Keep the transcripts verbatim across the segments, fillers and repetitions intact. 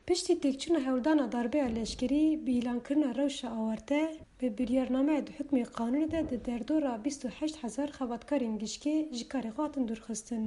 Piştî têkçûna hewldana darbeya leşkerî bi îlankirina rewşa awarte, bi biryarnameya di hukmê qanûnê de di derdora bîst û heşt hezar xebatkarên gişkê ji karê xwe hatin dûrxistin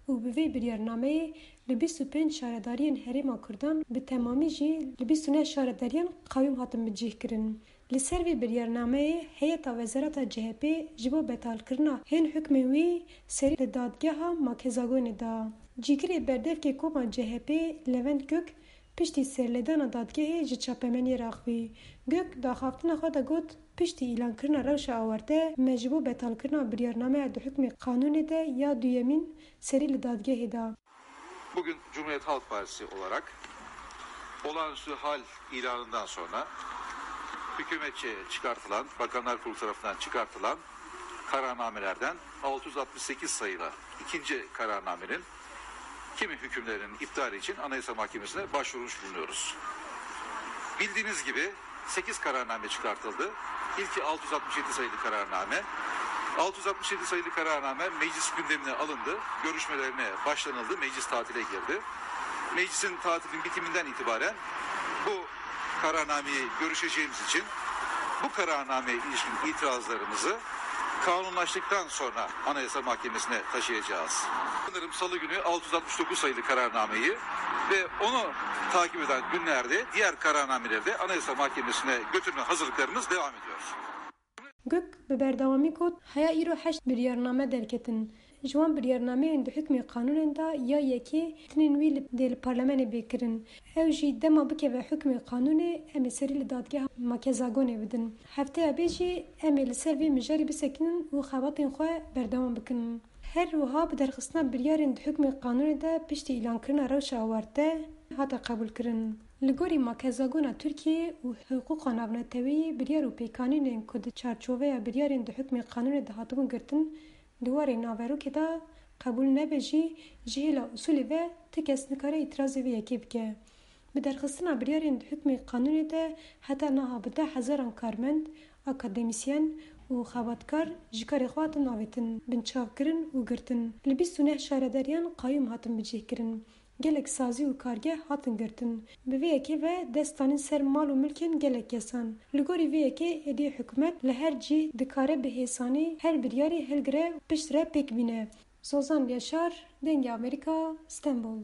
û bi vê biryarnameyê li bîst û pênc şaredariyên Herêma Kurdan, bi temamî jî li bîst û neh şaredariyan qayûm hatin bicihkirin. Li ser vê biryarnameyê heyeta wezareta C H P ji bo betalkirina hên hukmên wî serî li dadgeha Makezagonê da. Cîgirê berdevkê koma C H P Levent Gök piştî serlêdana dadgehê ji çapemeniyê re axivî. Gök di axaftina xwe de got, piştî îlankirina rewşa awarte me ji bo betalkirina biryarnameya di hukmê qanûnê de ya duyemîn serî li dadgehê da. Bugün Cumhuriyet Halk Partisi olarak olağanüstü hal ilanından sonra hükümetçe çıkartılan, Bakanlar Kurulu tarafından çıkartılan kararnamelerden altı yüz altmış sekiz sayılı ikinci kararnamenin kimi hükümlerinin iptali için Anayasa Mahkemesi'ne başvurmuş bulunuyoruz. Bildiğiniz gibi sekiz kararname çıkartıldı. İlki altı yüz altmış yedi sayılı kararname. Altı yüz altmış yedi sayılı kararname meclis gündemine alındı. Görüşmelerine başlanıldı. Meclis tatile girdi. Meclisin tatilin bitiminden itibaren bu kararnameyi görüşeceğimiz için bu kararnameye ilişkin itirazlarımızı kanunlaştıktan sonra Anayasa Mahkemesi'ne taşıyacağız. Sanırım Salı günü altı yüz altmış dokuz sayılı kararnameyi ve onu takip eden günlerde diğer kararnameleri de Anayasa Mahkemesi'ne götürme hazırlıklarımız devam ediyor. Gök bi berdewamî got, heya îro heşt biryarname derketin. Ji wan biryarnameyên di hukmê qanûnên de ya yekê tinên wî li, dê li parlemenê bê kirin. Ew jî dema bikeve hukmê qanûnê, em ê serî li dadgeha Makezagonê bidin. Hefteya bê jî em ê li ser vê mijarê bisekinin û xebatên xwe berdewam bikin. Her wiha bi derxistina biryarên di hukmê qanûnê de piştî îlankirina rewşa awarte hate qebûlkirin. Li gorî Makezagona Tirkiyeyê û hiqûqa navneteweyî, biryar û pêkanînên ku di çarçoveya biryarên di hukmê qanûnê de hatibûn girtin, di warê naverokê de qebûl nebe jî, ji hêla usûlê ve ti kes nikare îtirazê vê yekê bike. Bi derxistina biryarên di hukmê qanûnê de heta niha bi deh hezaran karmend, akademîsyen û xebatkar ji karê xwe hatin avêtin, binçavkirin û girtin. Li bîst û neh şaredariyan qayûm hatin bicihkirin. Gelek sazî û kargeh hatin girtin. Bi vê yekê ve dest danîn ser mal û milkên gelek kesan. Li gorî vê yekê êdî hikûmet li her cî dikare bi hêsanî her biryarî hilgire piştre pêk bîne. Zozan Yaşar, Dengê Amerîka, Stenbol.